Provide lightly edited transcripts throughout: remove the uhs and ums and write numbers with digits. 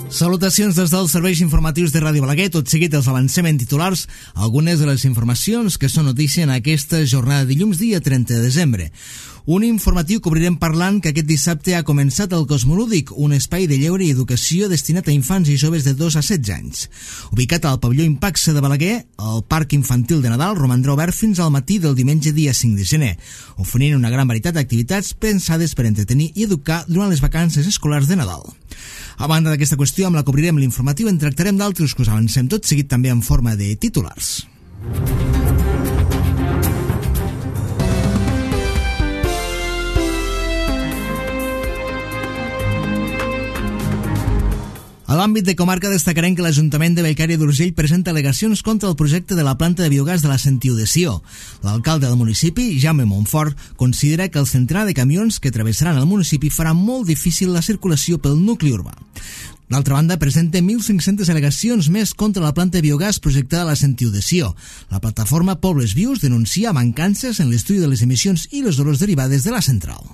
Salutacions des dels serveis informatius de Ràdio Balaguer. Tot seguit els avancem en titulars algunes de les informacions que són notícia en aquesta jornada de dilluns, dia 30 de desembre. Un informatiu que obrirem parlant que aquest dissabte ha començat el Cosmolúdic, un espai de lleure i educació destinat a infants i joves de 2 a 16 anys. Ubicat al pavelló Impaxa de Balaguer, el Parc Infantil de Nadal romandrà obert fins al matí del diumenge dia 5 de gener, oferint una gran varietat d'activitats pensades per entretenir i educar durant les vacances escolars de Nadal. A banda d'aquesta qüestió, amb la que obrirem l'informatiu, en tractarem d'altres que us avancem tot seguit també en forma de titulars. A l'àmbit de comarca destacarem que l'Ajuntament de Bellcaire d'Urgell presenta al·legacions contra el projecte de la planta de biogàs de la Sentiu de Sió. L'alcalde del municipi, Jaume Montfort, considera que el centenar de camions que travessaran el municipi farà molt difícil la circulació pel nucli urbà. D'altra banda, presenta 1.500 al·legacions més contra la planta de biogàs projectada a la Sentiu de Sió. La plataforma Pobles Vius denuncia mancances en l'estudi de les emissions i les olors derivades de la central.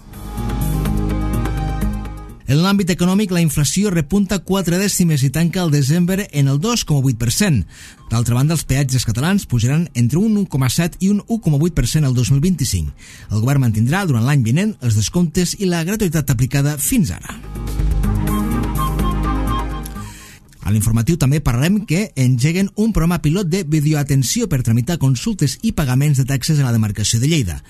En l'àmbit econòmic, la inflació repunta 4 dècimes i tanca el desembre en el 2,8%. D'altra banda, els peatges catalans pujaran entre un 1,7 i un 1,8% el 2025. El govern mantindrà durant l'any vinent els descomptes i la gratuïtat aplicada fins ara. A l'informatiu també parlarem que engeguen un programa pilot de videoatenció per tramitar consultes i pagaments de taxes a la demarcació de Lleida.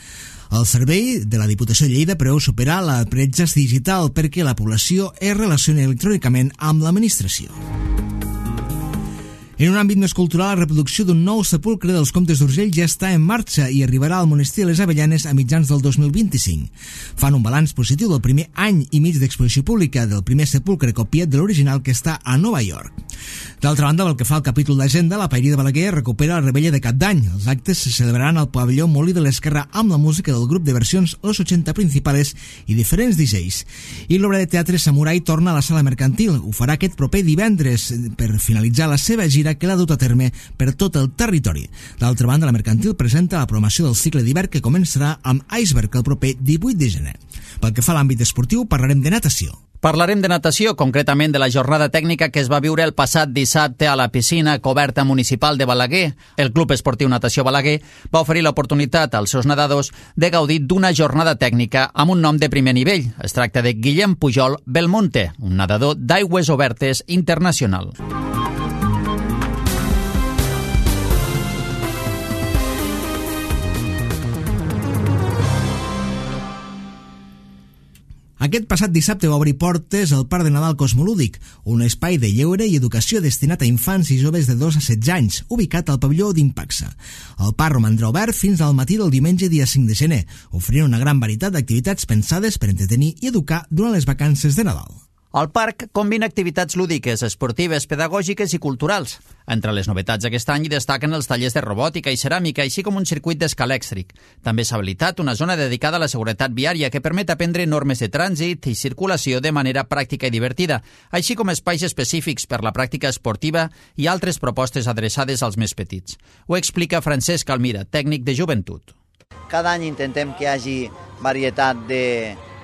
El servei de la Diputació de Lleida preveu superar la bretxa digital perquè la població es relacioni electrònicament amb l'administració. En un àmbit més cultural, la reproducció d'un nou sepulcre dels Comtes d'Urgell ja està en marxa i arribarà al monestir de les Avellanes a mitjans del 2025. Fan un balanç positiu del primer any i mig d'exposició pública del primer sepulcre copiat de l'original que està a Nova York. D'altra banda, pel que fa al capítol d'agenda, la Paeria de Balaguer recupera la rebella de Cap d'Any. Els actes se celebraran al pavelló Molí de l'Esquerra amb la música del grup de versions Los 80 Principales i diferents DJs. I l'obra de teatre Samurai torna a la sala mercantil. Ho farà aquest proper divendres per finalitzar la seva gira que l'ha dut a terme per tot el territori. D'altra banda, la mercantil presenta la programació del cicle d'hivern que començarà amb Iceberg el proper 18 de gener. Pel que fa a l'àmbit esportiu, parlarem de natació. Parlarem de natació, concretament de la jornada tècnica que es va viure el passat dissabte a la piscina coberta municipal de Balaguer. El Club Esportiu Natació Balaguer va oferir l'oportunitat als seus nedadors de gaudir d'una jornada tècnica amb un nom de primer nivell. Es tracta de Guillem Pujol Belmonte, un nedador d'aigües obertes internacional. Aquest passat dissabte va obrir portes al Parc de Nadal Cosmolúdic, un espai de lleure i educació destinat a infants i joves de 2 a 16 anys, ubicat al pavelló d'Impaxa. El parc romandrà obert fins al matí del diumenge dia 5 de gener, oferint una gran varietat d'activitats pensades per entretenir i educar durant les vacances de Nadal. El parc combina activitats lúdiques, esportives, pedagògiques i culturals. Entre les novetats d'aquest any destaquen els tallers de robòtica i ceràmica, així com un circuit d'escà elèctric. També s'ha habilitat una zona dedicada a la seguretat viària que permet aprendre normes de trànsit i circulació de manera pràctica i divertida, així com espais específics per la pràctica esportiva i altres propostes adreçades als més petits. Ho explica Francesc Almira, tècnic de joventut. Cada any intentem que hi hagi varietat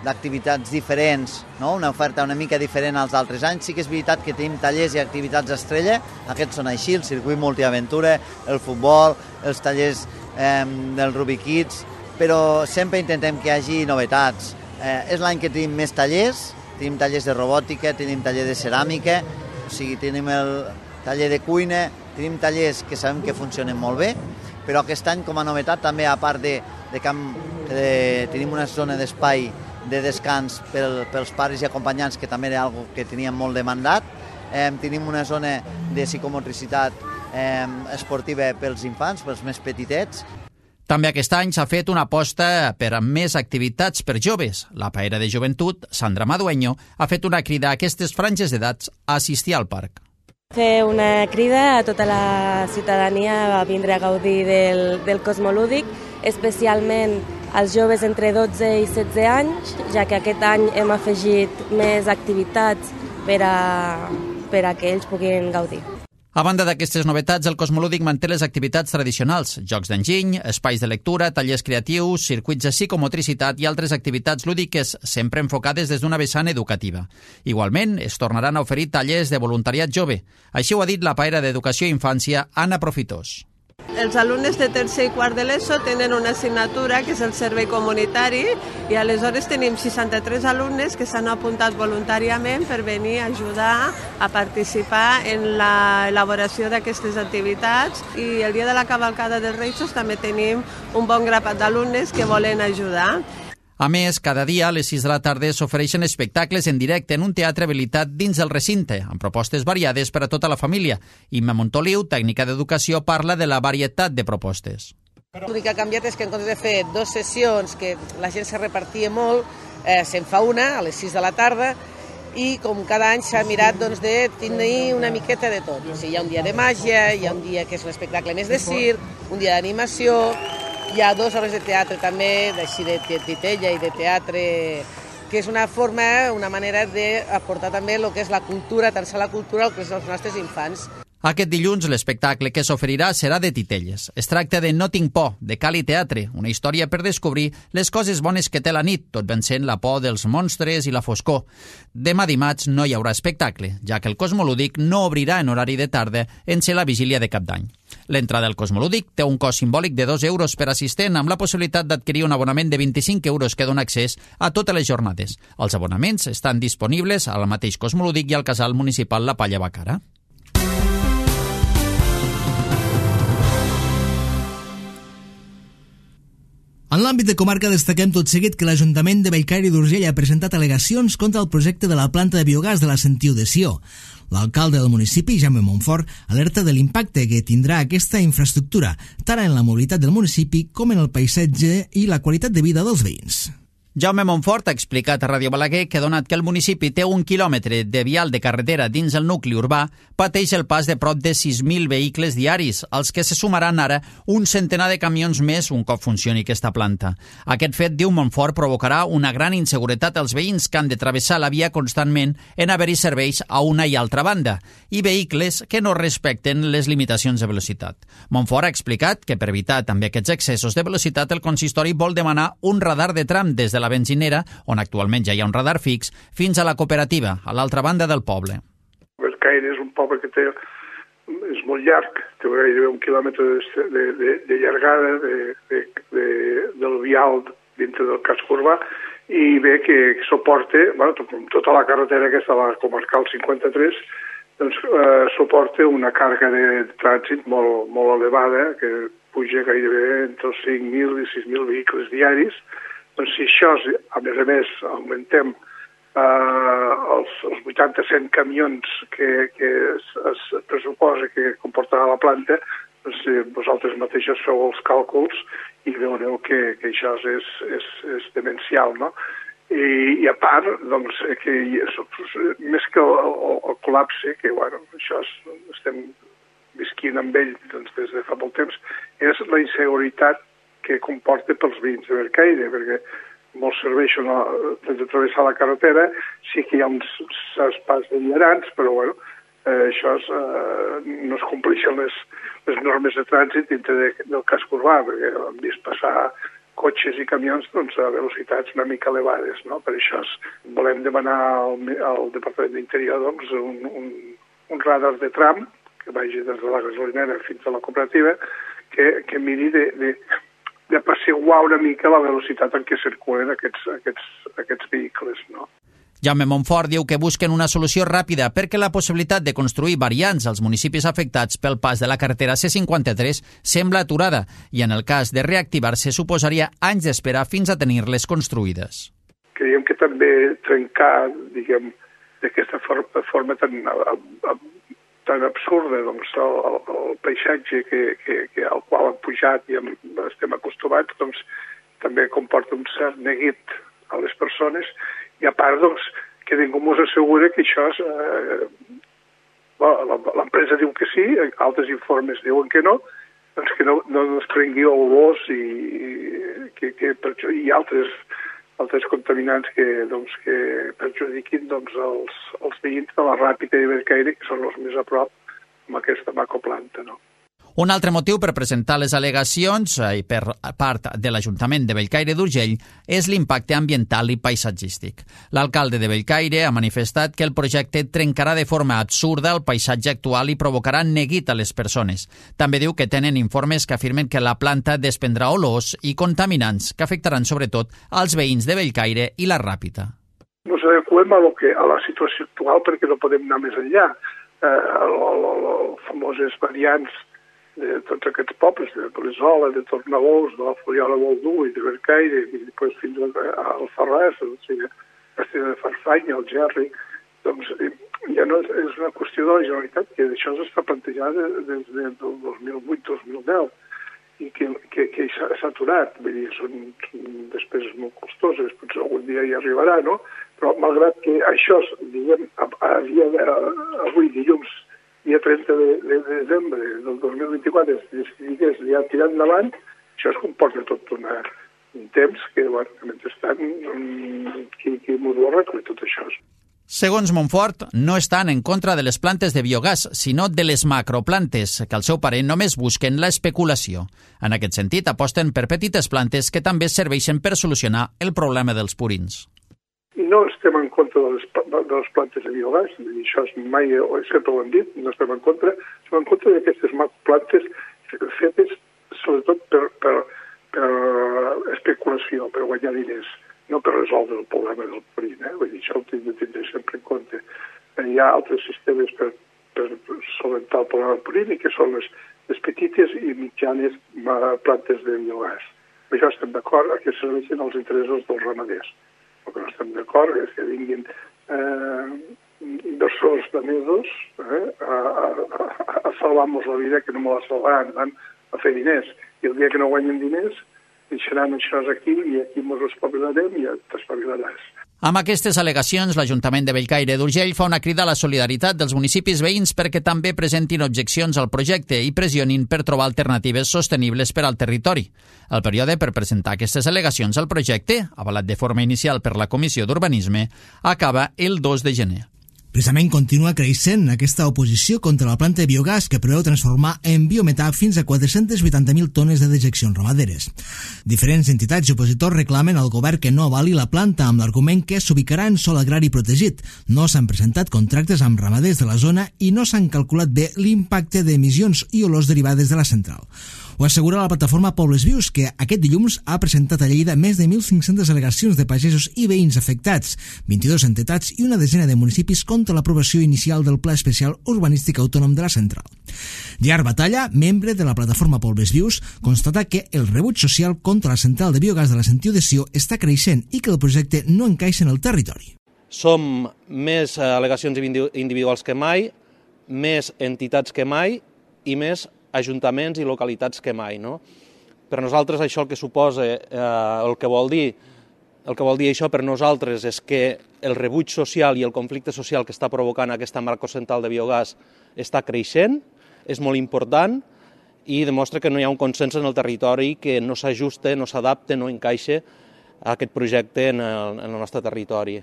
d'activitats diferents, no? Una oferta una mica diferent als altres anys. Sí que és veritat que tenim tallers i activitats estrella, aquests són així, el circuit multiaventura, el futbol, els tallers del Rubik Kids, però sempre intentem que hi hagi novetats. És l'any que tenim més tallers, tenim tallers de robòtica, tenim taller de ceràmica, o sigui, tenim el taller de cuina, tenim tallers que sabem que funcionen molt bé, però aquest any com a novetat també, a part de tenim una zona d'espai de descans pels pares i acompanyants, que també era algo que teníem molt demandat. Tenim una zona de psicomotricitat esportiva pels infants, pels més petitets. També aquest any s'ha fet una aposta per a més activitats per joves. La paera de joventut, Sandra Madueño, ha fet una crida a aquestes franges d'edats a assistir al parc. Fer una crida a tota la ciutadania a vindre a gaudir del Cosmolúdic, especialment als joves entre 12 i 16 anys, ja que aquest any hem afegit més activitats per a que ells puguin gaudir. A banda d'aquestes novetats, el Cosmolúdic manté les activitats tradicionals, jocs d'enginy, espais de lectura, tallers creatius, circuits de psicomotricitat i altres activitats lúdiques, sempre enfocades des d'una vessant educativa. Igualment, es tornaran a oferir tallers de voluntariat jove. Així ho ha dit la paera d'Educació i Infància, Anna Profitós. Els alumnes de tercer i quart de l'ESO tenen una assignatura que és el servei comunitari i aleshores tenim 63 alumnes que s'han apuntat voluntàriament per venir a ajudar a participar en l'elaboració d'aquestes activitats i el dia de la cavalcada dels Reis també tenim un bon grapat d'alumnes que volen ajudar. A més, cada dia a les 6 de la tarda s'ofereixen espectacles en directe en un teatre habilitat dins del recinte, amb propostes variades per a tota la família. Imma Montoliu, tècnica d'educació, parla de la varietat de propostes. L'únic que ha canviat és que en comptes de fer 2 sessions, que la gent se repartia molt, se'n fa una a les 6 de la tarda i com cada any s'ha mirat de tenir una miqueta de tot. O sigui, hi ha un dia de màgia, hi ha un dia que és un espectacle més de circ, un dia d'animació. Hi ha 2 hores de teatre també, així de titella i de teatre, que és una forma, una manera d'aportar també el que és la cultura, tant la cultura al que és els nostres infants. Aquest dilluns l'espectacle que s'oferirà serà de titelles. Es tracta de No tinc por, de Cali Teatre, una història per descobrir les coses bones que té la nit, tot vencent la por dels monstres i la foscor. Demà dimarts no hi haurà espectacle, ja que el Cosmolúdic no obrirà en horari de tarda en ser la vigília de Cap d'Any. L'entrada al Cosmolúdic té un cost simbòlic de 2 euros per assistent amb la possibilitat d'adquirir un abonament de 25 euros que dona accés a totes les jornades. Els abonaments estan disponibles al mateix Cosmolúdic i al casal municipal La Palla Bacara. En l'àmbit de comarca destaquem tot seguit que l'Ajuntament de Bellcaire i d'Urgell ha presentat al·legacions contra el projecte de la planta de biogàs de la Sentiu de Sió. L'alcalde del municipi, Jaume Montfort, alerta de l'impacte que tindrà aquesta infraestructura, tant en la mobilitat del municipi com en el paisatge i la qualitat de vida dels veïns. Jaume Montfort ha explicat a Ràdio Balaguer que, donat que el municipi té 1 quilòmetre de vial de carretera dins el nucli urbà, pateix el pas de prop de 6.000 vehicles diaris, als que se sumaran ara un centenar de camions més un cop funcioni aquesta planta. Aquest fet, diu Montfort, provocarà una gran inseguretat als veïns que han de travessar la via constantment en haver-hi serveis a una i altra banda, i vehicles que no respecten les limitacions de velocitat. Montfort ha explicat que, per evitar també aquests excessos de velocitat, el consistori vol demanar un radar de tram des de la benzinera, on actualment ja hi ha un radar fix, fins a la cooperativa, a l'altra banda del poble. Bellcaire és un poble que és molt llarg, té gairebé 1 quilòmetre de llargada del vial dintre del casc urbà, i bé que suporta, tota la carretera aquesta, la comarcal 53, doncs suporta una càrrega de trànsit molt elevada, que puja gairebé entre els 5.000 i 6.000 vehicles diaris. Doncs si això, a més, augmentem els 80-100 camions que es pressuposa que comportarà la planta, doncs vosaltres mateixos feu els càlculs i veureu que això és demencial, no? I a part, doncs, que més que el col·lapse, que això estem visquint amb ell des de fa molt temps, és la inseguretat que comporta pels veïns de Bellcaire, perquè molts serveixen de travessar la carretera, sí que hi ha uns espais de vianants, però això no es compleixen les normes de trànsit dintre del casc urbà, perquè hem vist passar cotxes i camions a velocitats una mica elevades, no? Per això volem demanar al Departament d'Interior un radar de tram que vagi des de la gasolinera fins a la cooperativa, que miri d'apaciguar una mica la velocitat en què circulen aquests vehicles, no? Jaume Montfort diu que busquen una solució ràpida perquè la possibilitat de construir variants als municipis afectats pel pas de la carretera C53 sembla aturada i en el cas de reactivar-se suposaria anys d'espera fins a tenir-les construïdes. Creiem que també trencar, d'aquesta forma tan absurda el paisatge al qual hem pujat i estem acostumats, també comporta un cert neguit a les persones. I a part, que ningú ens assegura que això l'empresa diu que sí, altres informes diuen que no, que no es prengui olors i altres contaminants que perjudiquin els veïns de la Ràpita i Bellcaire, que són els més a prop aquesta macroplanta, no? Un altre motiu per presentar les al·legacions per part de l'Ajuntament de Bellcaire d'Urgell és l'impacte ambiental i paisatgístic. L'alcalde de Bellcaire ha manifestat que el projecte trencarà de forma absurda el paisatge actual i provocarà neguit a les persones. També diu que tenen informes que afirmen que la planta desprendrà olors i contaminants que afectaran sobretot als veïns de Bellcaire i la Ràpita. Nos adequem a la situació actual perquè no podem anar més enllà. Les famoses variants de tots aquests pobles, de Polisola, de Tornabous, de la Foliola Boldú i de Bellcaire, i després fins al Farràs, o sigui, Castella de Farfanya, el Gerri, doncs ja no és una qüestió de la Generalitat, que això s'està plantejat des del 2008-2010 i que s'ha aturat. Vull dir, són despeses molt costoses, potser algun dia hi arribarà, no? Però malgrat que això, diguem, avui dilluns, dia 30 de desembre del 2024, si digués ja tirar endavant, això es comporta tot un temps que, bueno, mentrestant, qui m'ho ho arregla tot això. Segons Montfort, no estan en contra de les plantes de biogàs, sinó de les macroplantes, que al seu parer només busquen la especulació. En aquest sentit, aposten per petites plantes que també serveixen per solucionar el problema dels purins. No estem en contra de les plantes de biogàs, això mai, sempre ho hem dit, no estem en contra d'aquestes plantes fetes sobretot per especulació, per guanyar diners, no per resoldre el problema del purín. Vull dir, això ho tinc de tindre sempre en compte. Hi ha altres sistemes per solventar el problema del purín, que són les petites i mitjanes plantes de biogàs. Per això estem d'acord que serveixen als interessos dels ramaders. El que no estem d'acord és que vinguin inversors danesos a salvar-nos la vida, que no me la salvaran, van a fer diners. I el dia que no guanyen diners, deixaran això aquí i aquí ens espavilarem i ja t'espavilaràs. Amb aquestes al·legacions, l'Ajuntament de Bellcaire d'Urgell fa una crida a la solidaritat dels municipis veïns perquè també presentin objeccions al projecte i pressionin per trobar alternatives sostenibles per al territori. El període per presentar aquestes al·legacions al projecte, avalat de forma inicial per la Comissió d'Urbanisme, acaba el 2 de gener. Precisament continua creixent aquesta oposició contra la planta de biogàs que preveu transformar en biometà fins a 480.000 tones de dejeccions ramaderes. Diferents entitats i opositors reclamen al govern que no avali la planta amb l'argument que s'ubicarà en sòl agrari protegit. No s'han presentat contractes amb ramaders de la zona i no s'han calculat bé l'impacte d'emissions i olors derivades de la central. Ho assegura la plataforma Pobles Vius, que aquest dilluns ha presentat a Lleida més de 1.500 al·legacions de pagesos i veïns afectats, 22 entitats i una desena de municipis contra l'aprovació inicial del Pla Especial Urbanístic Autònom de la Central. Gerard Batalla, membre de la plataforma Pobles Vius, constata que el rebuig social contra la central de biogàs de la Sentiu de Sió està creixent i que el projecte no encaixa en el territori. Som més al·legacions individuals que mai, més entitats que mai i més ajuntaments i localitats que mai, no? Per nosaltres això el que suposa, el que vol dir això per nosaltres és que el rebuig social i el conflicte social que està provocant aquesta macrocentral de biogàs està creixent, és molt important i demostra que no hi ha un consens en el territori que no s'ajusta, no s'adapta, no encaixa a aquest projecte en el nostre territori.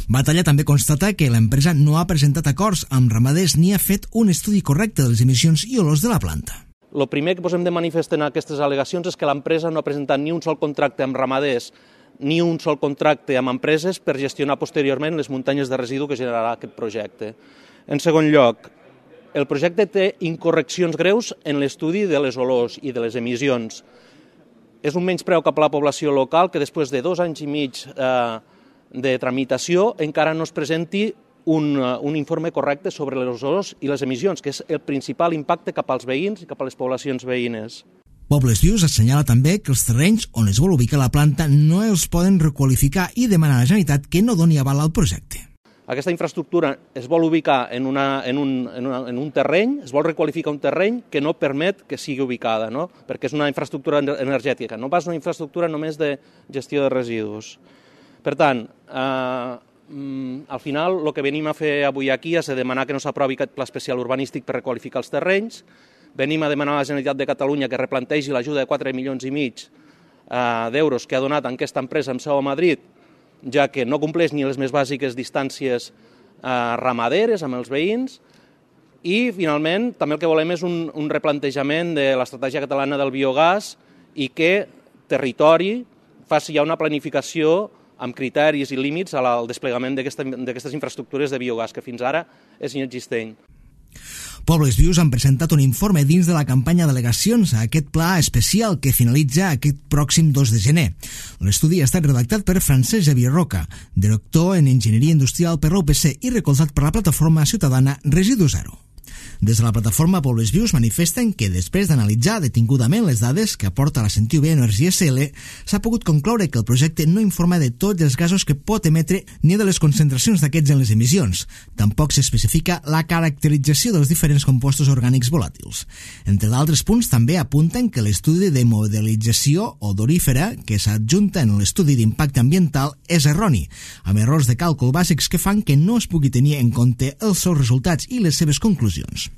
Batalla també constata que l'empresa no ha presentat acords amb ramaders ni ha fet un estudi correcte de les emissions i olors de la planta. El primer que posem de manifest en aquestes al·legacions és que l'empresa no ha presentat ni un sol contracte amb ramaders ni un sol contracte amb empreses per gestionar posteriorment les muntanyes de residu que generarà aquest projecte. En segon lloc, el projecte té incorreccions greus en l'estudi de les olors i de les emissions. És un menyspreu cap a la població local que després de 2 anys i mig de tramitació encara no es presenti un informe correcte sobre les olors i les emissions, que és el principal impacte cap als veïns i cap a les poblacions veïnes. Pobles Vius assenyala també que els terrenys on es vol ubicar la planta no els poden requalificar i demana a la Generalitat que no doni aval al projecte. Aquesta infraestructura es vol ubicar en un terreny, es vol requalificar un terreny que no permet que sigui ubicada, no? Perquè és una infraestructura energètica, no pas una infraestructura només de gestió de residus. Per tant, al final el que venim a fer avui aquí és demanar que no s'aprovi aquest pla especial urbanístic per requalificar els terrenys, venim a demanar a la Generalitat de Catalunya que replantegi l'ajuda de 4,5 milions d'euros que ha donat en aquesta empresa amb seu a Madrid, ja que no compleix ni les més bàsiques distàncies ramaderes amb els veïns, I, finalment, també el que volem és un replantejament de l'estratègia catalana del biogàs i que territori faci ja una planificació amb criteris i límits al desplegament d'aquestes infraestructures de biogàs, que fins ara és inexistent. Pobles Vius han presentat un informe dins de la campanya d'al·legacions a aquest pla especial que finalitza aquest pròxim 2 de gener. L'estudi ha estat redactat per Francesc Xavier Roca, director en Enginyeria Industrial per la UPC i recolzat per la plataforma ciutadana Residu Zero. Des de la plataforma Pobles Vius manifesten que després d'analitzar detingudament les dades que aporta la Sentiu B Energia SL, s'ha pogut concloure que el projecte no informa de tots els gasos que pot emetre ni de les concentracions d'aquests en les emissions. Tampoc s'especifica la caracterització dels diferents compostos orgànics volàtils. Entre d'altres punts, també apunten que l'estudi de modelització odorífera que s'adjunta en l'estudi d'impacte ambiental és erroni, amb errors de càlcul bàsics que fan que no es pugui tenir en compte els seus resultats i les seves conclusions.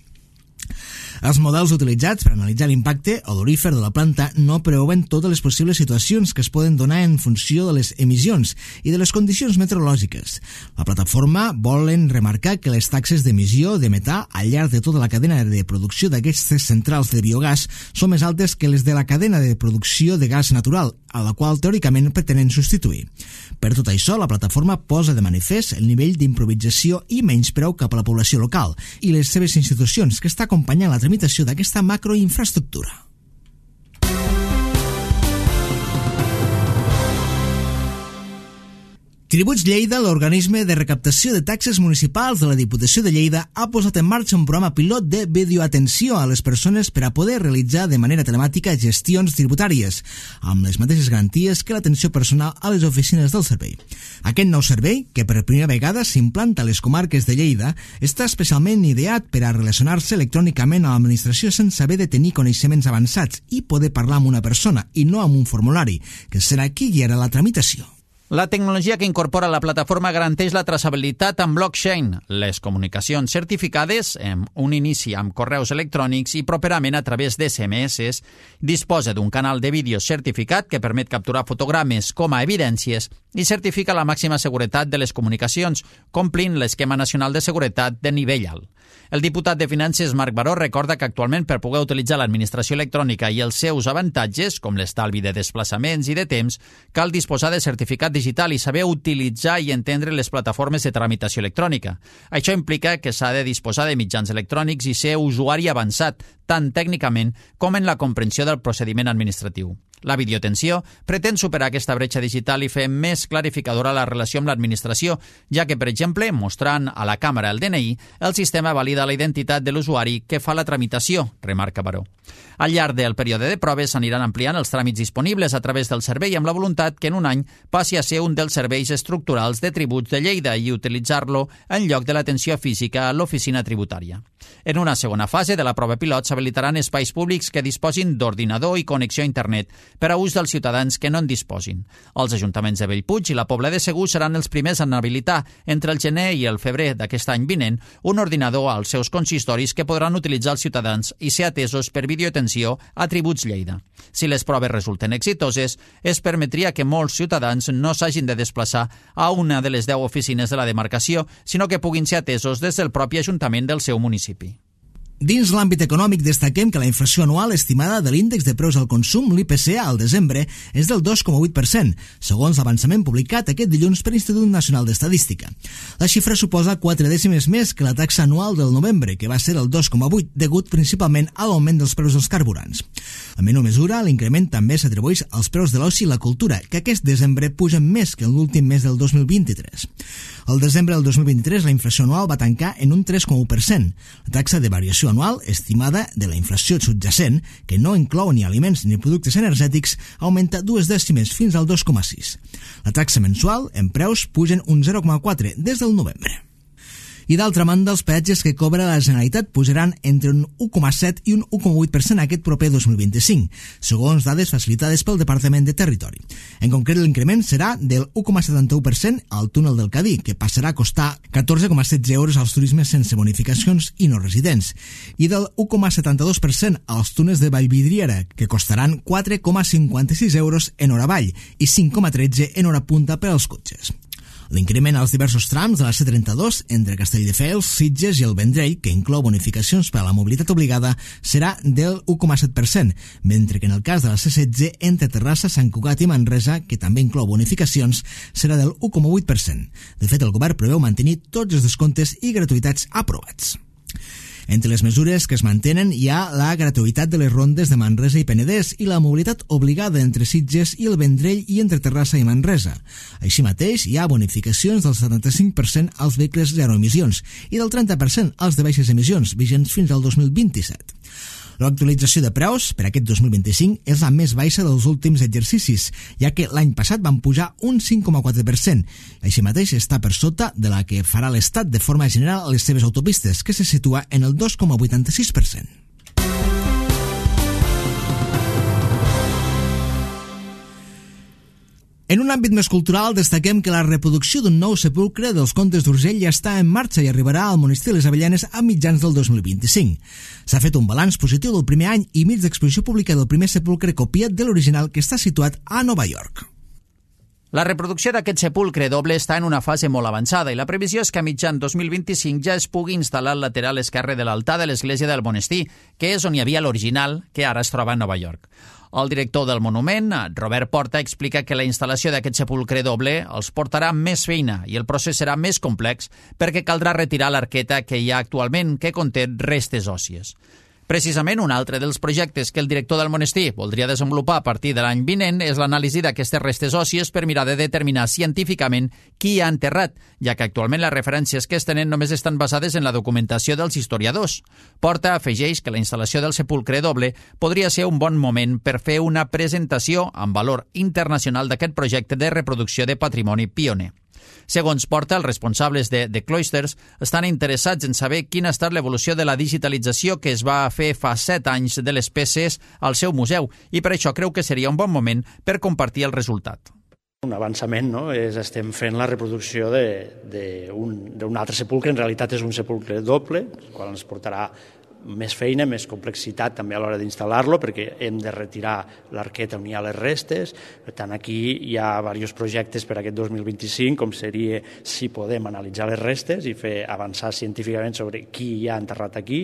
Els models utilitzats per analitzar l'impacte odorífer de la planta no preveuen totes les possibles situacions que es poden donar en funció de les emissions i de les condicions meteorològiques. La plataforma volen remarcar que les taxes d'emissió de metà al llarg de tota la cadena de producció d'aquestes centrals de biogàs són més altes que les de la cadena de producció de gas natural, a la qual teòricament pretenen substituir. Per tot això, la plataforma posa de manifest el nivell d'improvisació i menyspreu cap a la població local i les seves institucions que està acompanyant la tramitació d'aquesta macroinfraestructura. Tributs Lleida, l'organisme de recaptació de taxes municipals de la Diputació de Lleida, ha posat en marxa un programa pilot de videoatenció a les persones per a poder realitzar de manera telemàtica gestions tributàries, amb les mateixes garanties que l'atenció personal a les oficines del servei. Aquest nou servei, que per primera vegada s'implanta a les comarques de Lleida, està especialment ideat per a relacionar-se electrònicament a l'administració sense haver de tenir coneixements avançats i poder parlar amb una persona i no amb un formulari, que serà qui guiarà la tramitació. La tecnologia que incorpora la plataforma garanteix la traçabilitat amb blockchain, les comunicacions certificades amb un inici amb correus electrònics i properament a través d'SMS, disposa d'un canal de vídeo certificat que permet capturar fotogrames com a evidències i certifica la màxima seguretat de les comunicacions, complint l'esquema nacional de seguretat de nivell alt. El diputat de Finances, Marc Baró, recorda que actualment per poder utilitzar l'administració electrònica i els seus avantatges, com l'estalvi de desplaçaments i de temps, cal disposar de certificat digital i saber utilitzar i entendre les plataformes de tramitació electrònica. Això implica que s'ha de disposar de mitjans electrònics i ser usuari avançat, tant tècnicament com en la comprensió del procediment administratiu. La videoatenció pretén superar aquesta bretxa digital i fer més clarificadora la relació amb l'administració, ja que, per exemple, mostrant a la càmera el DNI, el sistema valida la identitat de l'usuari que fa la tramitació, remarca Baró. Al llarg del període de proves s'aniran ampliant els tràmits disponibles a través del servei amb la voluntat que en un any passi a ser un dels serveis estructurals de tributs de Lleida i utilitzar-lo en lloc de l'atenció física a l'oficina tributària. En una segona fase de la prova pilot s'habilitaran espais públics que disposin d'ordinador i connexió a internet per a ús dels ciutadans que no en disposin. Els ajuntaments de Bellpuig i la Pobla de Segur seran els primers en habilitar entre el gener i el febrer d'aquest any vinent un ordinador als seus consistoris que podran utilitzar els ciutadans i ser atesos per videoatenció a Tributs Lleida. Si les proves resulten exitoses, es permetria que molts ciutadans no s'hagin de desplaçar a una de les 10 oficines de la demarcació, sinó que puguin ser atesos des del propi ajuntament del seu municipi. Dins l'àmbit econòmic destaquem que la inflació anual estimada de l'índex de preus al consum, l'IPC, al desembre és del 2,8%, segons l'avançament publicat aquest dilluns per l'Institut Nacional d'Estadística. La xifra suposa 4 dècimes més que la taxa anual del novembre, que va ser el 2,8%, degut principalment a l'augment dels preus dels carburants. En menor mesura, l'increment també s'atribueix als preus de l'oci i la cultura, que aquest desembre pugen més que l'últim mes del 2023. Al desembre del 2023, la inflació anual va tancar en un 3,1%. La taxa de variació anual estimada de la inflació subjacent, que no inclou ni aliments ni productes energètics, augmenta 2 dècimes fins al 2,6. La taxa mensual en preus pugen un 0,4 des del novembre. I d'altra banda, els peatges que cobra la Generalitat pujaran entre un 1,7 i un 1,8% aquest proper 2025, segons dades facilitades pel Departament de Territori. En concret, l'increment serà del 1,71% al túnel del Cadí, que passarà a costar 14,16 euros als turismes sense bonificacions i no residents, i del 1,72% als túnels de Vallvidriera, que costaran 4,56 euros en hora avall i 5,13 en hora punta per als cotxes. L'increment als diversos trams de la C32 entre Castelldefels, Sitges i el Vendrell, que inclou bonificacions per a la mobilitat obligada, serà del 1,7%, mentre que en el cas de la C16 entre Terrassa, Sant Cugat i Manresa, que també inclou bonificacions, serà del 1,8%. De fet, el govern preveu mantenir tots els descomptes i gratuïtats aprovats. Entre les mesures que es mantenen hi ha la gratuïtat de les rondes de Manresa i Penedès i la mobilitat obligada entre Sitges i el Vendrell i entre Terrassa i Manresa. Així mateix, hi ha bonificacions del 75% als vehicles zero emissions i del 30% als de baixes emissions, vigents fins al 2027. L'actualització de preus per aquest 2025 és la més baixa dels últims exercicis, ja que l'any passat van pujar un 5,4%. Així mateix està per sota de la que farà l'Estat de forma general a les seves autopistes, que se situa en el 2,86%. En un àmbit més cultural, destaquem que la reproducció d'un nou sepulcre dels Comtes d'Urgell ja està en marxa i arribarà al Monestir de les Avellanes a mitjans del 2025. S'ha fet un balanç positiu del primer any i mig d'exposició pública del primer sepulcre copiat de l'original, que està situat a Nova York. La reproducció d'aquest sepulcre doble està en una fase molt avançada i la previsió és que a mitjan 2025 ja es pugui instal·lar al lateral esquerre de l'altar de l'església del Monestir, que és on hi havia l'original, que ara es troba a Nova York. El director del monument, Robert Porta, explica que la instal·lació d'aquest sepulcre doble els portarà més feina i el procés serà més complex perquè caldrà retirar l'arqueta que hi ha actualment, que conté restes òssies. Precisament, un altre dels projectes que el director del monestir voldria desenvolupar a partir de l'any vinent és l'anàlisi d'aquestes restes òssies per mirar de determinar científicament qui hi ha enterrat, ja que actualment les referències que es tenen només estan basades en la documentació dels historiadors. Porta afegeix que la instal·lació del sepulcre doble podria ser un bon moment per fer una presentació amb valor internacional d'aquest projecte de reproducció de patrimoni pioner. Segons Porta, els responsables de The Cloisters estan interessats en saber quina ha estat l'evolució de la digitalització que es va fer fa 7 anys de les peces al seu museu i per això creu que seria un bon moment per compartir el resultat. Un avançament, no? Estem fent la reproducció d'un altre sepulcre, en realitat és un sepulcre doble, el qual ens portarà més feina, més complexitat també a l'hora d'instal·lar-lo, perquè hem de retirar l'arqueta on hi ha les restes. Per tant, aquí hi ha diversos projectes per aquest 2025, com seria si podem analitzar les restes i fer avançar científicament sobre qui hi ha enterrat aquí,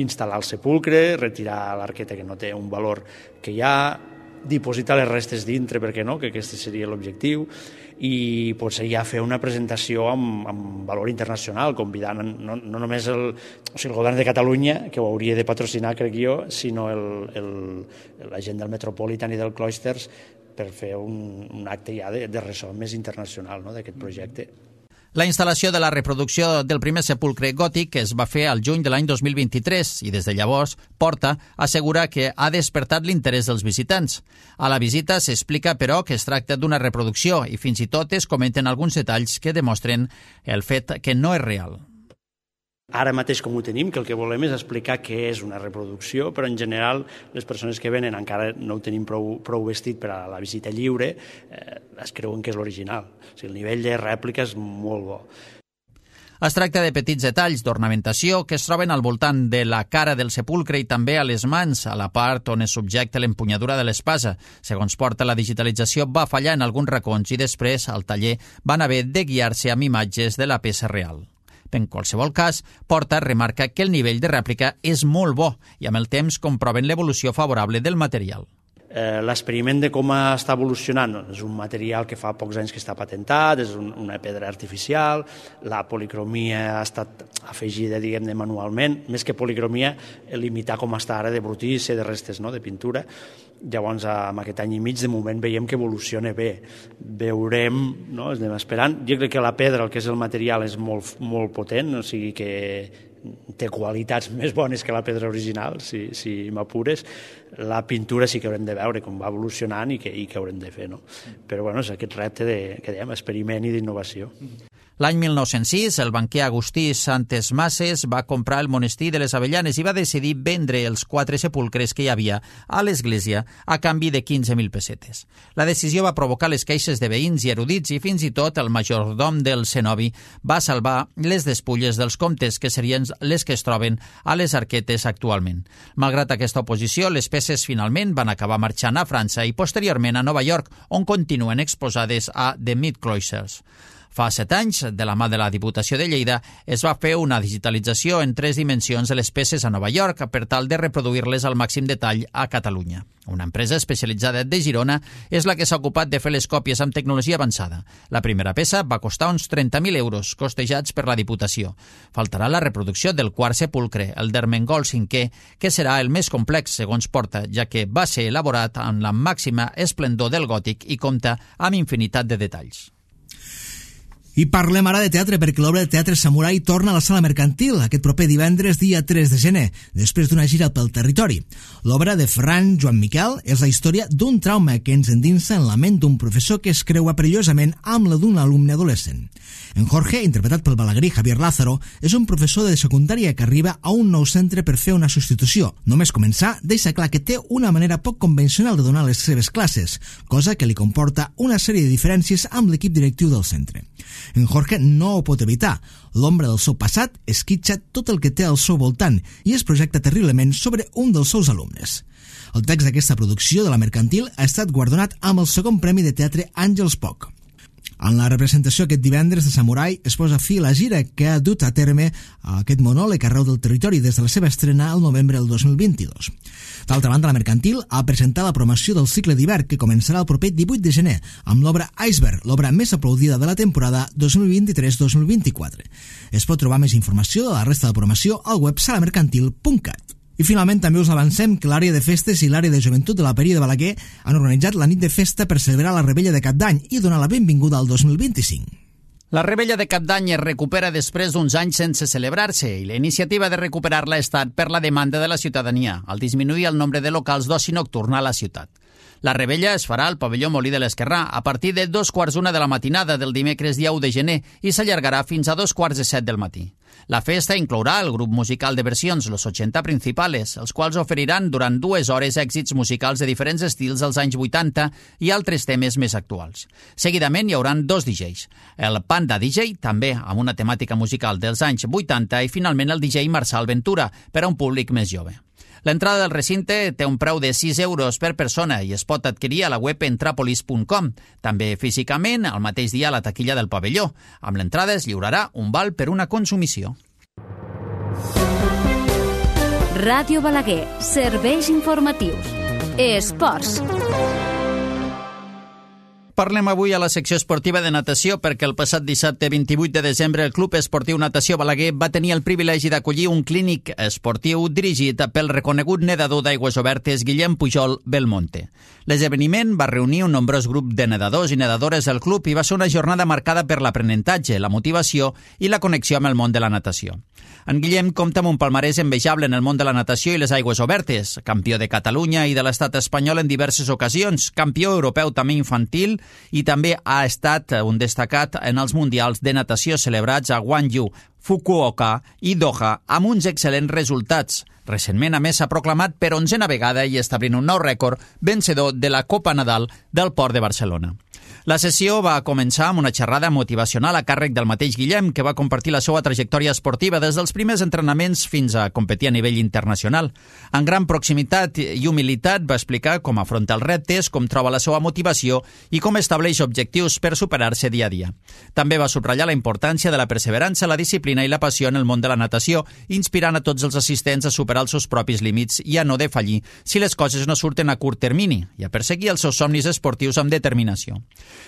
instal·lar el sepulcre, retirar l'arqueta que no té un valor que hi ha, dipositar les restes dintre, perquè no, que aquest seria l'objectiu, i potser ja fer una presentació amb valor internacional, convidant no només el govern de Catalunya, que ho hauria de patrocinar, crec jo, sinó la gent del Metropolitan i del Cloisters, per fer un acte ja de ressò més internacional, no, d'aquest projecte. La instal·lació de la reproducció del primer sepulcre gòtic es va fer al juny de l'any 2023 i des de llavors Porta assegura que ha despertat l'interès dels visitants. A la visita s'explica, però, que es tracta d'una reproducció i fins i tot es comenten alguns detalls que demostren el fet que no és real. Ara mateix com ho tenim, que el que volem és explicar què és una reproducció, però en general les persones que venen encara no ho tenim prou vestit per a la visita lliure, es creuen que és l'original. O sigui, el nivell de rèplica és molt bo. Es tracta de petits detalls d'ornamentació que es troben al voltant de la cara del sepulcre i també a les mans, a la part on es subjecta l'empunyadura de l'espasa. Segons Porta, la digitalització va fallar en alguns racons i després, al taller, van haver de guiar-se amb imatges de la peça real. En qualsevol cas, Porta remarca que el nivell de rèplica és molt bo i amb el temps comproven l'evolució favorable del material. L'experiment de com està evolucionant és un material que fa pocs anys que està patentat, és una pedra artificial, la policromia ha estat afegida, diguem-ne, manualment, més que policromia, limitar com està ara de brutícia, de restes, no?, de pintura. Llavors, amb aquest any i mig, de moment, veiem que evoluciona bé. Veurem, no?, estem esperant. Jo crec que la pedra, el que és el material, és molt potent, o sigui que té qualitats més bones que la pedra original, si m'apures. La pintura sí que haurem de veure com va evolucionant i què haurem de fer, no? Però bueno, és aquest repte de, que dèiem, experiment i d'innovació. L'any 1906, el banquer Agustí Santes Masses va comprar el monestir de les Avellanes i va decidir vendre els 4 sepulcres que hi havia a l'església a canvi de 15.000 pessetes. La decisió va provocar les queixes de veïns i erudits i fins i tot el majordom del cenobi va salvar les despulles dels comtes, que serien les que es troben a les arquetes actualment. Malgrat aquesta oposició, les peces finalment van acabar marxant a França i posteriorment a Nova York, on continuen exposades a The Mid Cloisters. Fa 7 anys, de la mà de la Diputació de Lleida, es va fer una digitalització en 3 dimensions de les peces a Nova York per tal de reproduir-les al màxim detall a Catalunya. Una empresa especialitzada de Girona és la que s'ha ocupat de fer les còpies amb tecnologia avançada. La primera peça va costar uns 30.000 euros, costejats per la Diputació. Faltarà la reproducció del quart sepulcre, el d'Ermengol V, que serà el més complex, segons Porta, ja que va ser elaborat amb la màxima esplendor del gòtic i compta amb infinitat de detalls. I parlem ara de teatre, perquè l'obra de teatre Samurai torna a la Sala Mercantil aquest proper divendres, dia 3 de gener, després d'una gira pel territori. L'obra de Ferran Joan Miquel és la història d'un trauma que ens endinsa en la ment d'un professor que es creua perillosament amb la d'un alumne adolescent. En Jorge, interpretat pel balaguerí Javier Lázaro, és un professor de secundària que arriba a un nou centre per fer una substitució. Només començar, deixa clar que té una manera poc convencional de donar les seves classes, cosa que li comporta una sèrie de diferències amb l'equip directiu del centre. En Jorge no ho pot evitar. L'ombra del seu passat esquitxa tot el que té al seu voltant i es projecta terriblement sobre un dels seus alumnes. El text d'aquesta producció de la Mercantil ha estat guardonat amb el segon premi de teatre Àngels Poc. En la representació aquest divendres de Samurai es posa fi a la gira que ha dut a terme aquest monòleg arreu del territori des de la seva estrena al novembre del 2022. D'altra banda, la Mercantil ha presentat la promoció del cicle d'hivern que començarà el proper 18 de gener amb l'obra Iceberg, l'obra més aplaudida de la temporada 2023-2024. Es pot trobar més informació de la resta de promoció al web salamercantil.cat. I finalment també us avancem que l'àrea de festes i l'àrea de joventut de la Peria de Balaguer han organitzat la nit de festa per celebrar la Rebella de Cap d'Any i donar la benvinguda al 2025. La Rebella de Cap d'Any es recupera després d'uns anys sense celebrar-se i la iniciativa de recuperar-la ha estat per la demanda de la ciutadania, al disminuir el nombre de locals d'oci nocturn a la ciutat. La Rebella es farà al pavelló Molí de l'Esquerrà a partir de 2:15 de la matinada del dimecres dia 1 de gener i s'allargarà fins a 2:45 del matí. La festa inclourà el grup musical de versions Los 80 Principales, els quals oferiran durant 2 hores èxits musicals de diferents estils dels anys 80 i altres temes més actuals. Seguidament hi hauran 2 DJs, el Panda DJ, també amb una temàtica musical dels anys 80, i finalment el DJ Marçal Ventura, per a un públic més jove. L'entrada del recinte té un preu de 6 euros per persona i es pot adquirir a la web entrapolis.com, també físicament el mateix dia a la taquilla del pavelló. Amb l'entrada es lliurarà un val per una consumició. Ràdio Balaguer, serveis informatius. Esports. Parlem avui a la secció esportiva de natació perquè el passat dissabte 28 de desembre el Club Esportiu Natació Balaguer va tenir el privilegi d'acollir un clínic esportiu dirigit pel reconegut nedador d'aigües obertes Guillem Pujol Belmonte. L'esdeveniment va reunir un nombrós grup de nedadors i nedadores del club i va ser una jornada marcada per l'aprenentatge, la motivació i la connexió amb el món de la natació. En Guillem compta amb un palmarès envejable en el món de la natació i les aigües obertes, campió de Catalunya i de l'estat espanyol en diverses ocasions, campió europeu també infantil i també ha estat un destacat en els mundials de natació celebrats a Gwangju, Fukuoka i Doha amb uns excel·lents resultats. Recentment, a més, s'ha proclamat per 11a vegada i establint un nou rècord vencedor de la Copa Nadal del Port de Barcelona. La sessió va començar amb una xerrada motivacional a càrrec del mateix Guillem, que va compartir la seva trajectòria esportiva des dels primers entrenaments fins a competir a nivell internacional. En gran proximitat i humilitat va explicar com afronta els reptes, com troba la seva motivació i com estableix objectius per superar-se dia a dia. També va subratllar la importància de la perseverança, la disciplina i la passió en el món de la natació, inspirant a tots els assistents a superar els seus propis límits i a no defallir si les coses no surten a curt termini i a perseguir els seus somnis esportius amb determinació.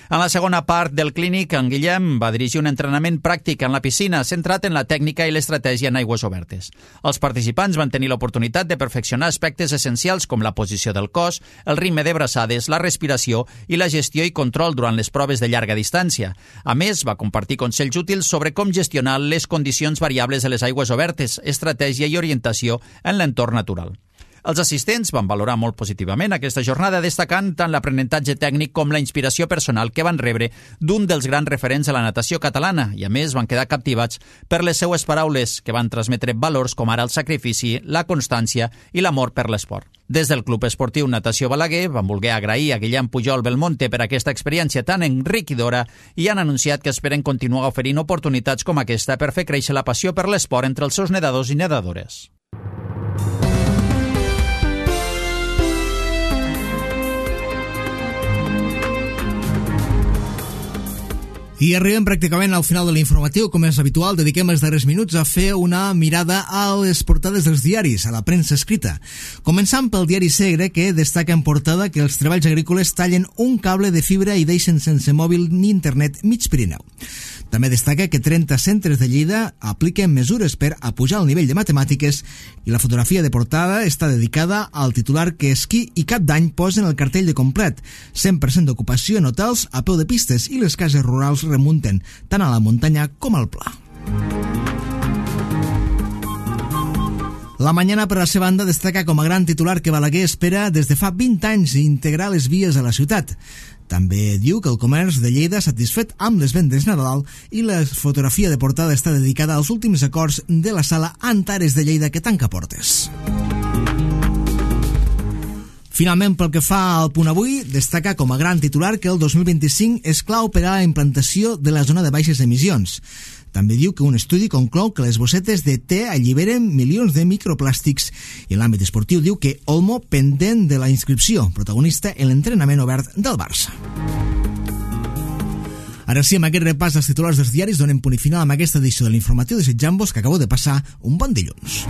En la segona part del clínic, en Guillem va dirigir un entrenament pràctic en la piscina centrat en la tècnica i l'estratègia en aigües obertes. Els participants van tenir l'oportunitat de perfeccionar aspectes essencials com la posició del cos, el ritme de braçades, la respiració i la gestió i control durant les proves de llarga distància. A més, va compartir consells útils sobre com gestionar les condicions variables de les aigües obertes, estratègia i orientació en l'entorn natural. Els assistents van valorar molt positivament aquesta jornada, destacant tant l'aprenentatge tècnic com la inspiració personal que van rebre d'un dels grans referents de la natació catalana i, a més, van quedar captivats per les seues paraules, que van transmetre valors com ara el sacrifici, la constància i l'amor per l'esport. Des del Club Esportiu Natació Balaguer van voler agrair a Guillem Pujol Belmonte per aquesta experiència tan enriquidora i han anunciat que esperen continuar oferint oportunitats com aquesta per fer créixer la passió per l'esport entre els seus nedadors i nedadores. I arribem pràcticament al final de l'informatiu. Com és habitual, dediquem els darrers minuts a fer una mirada a les portades dels diaris, a la premsa escrita. Començant pel diari Segre, que destaca en portada que els treballs agrícoles tallen un cable de fibra i deixen sense mòbil ni internet mig Pirineu. També destaca que 30 centres de Lleida apliquen mesures per apujar el nivell de matemàtiques i la fotografia de portada està dedicada al titular que Esquí i Cap d'Any posen el cartell de complet. 100% d'ocupació en hotels a peu de pistes i les cases rurals remunten tant a la muntanya com al pla. La Mañana, per la seva banda, destaca com a gran titular que Balaguer espera des de fa 20 anys integrar les vies a la ciutat. També diu que el comerç de Lleida satisfet amb les vendes Nadal i la fotografia de portada està dedicada als últims acords de la sala Antares de Lleida que tanca portes. Finalment, pel que fa al Punt Avui, destaca com a gran titular que el 2025 és clau per a la implantació de la zona de baixes emissions. També diu que un estudi conclou que les bossetes de te alliberen milions de microplàstics i en l'àmbit esportiu diu que Olmo pendent de la inscripció, protagonista en l'entrenament obert del Barça. Ara sí, amb aquest repàs dels titulars dels diaris donem punt i final amb aquesta edició de l'informatiu desitjant-vos que acabeu de passar un bon dilluns.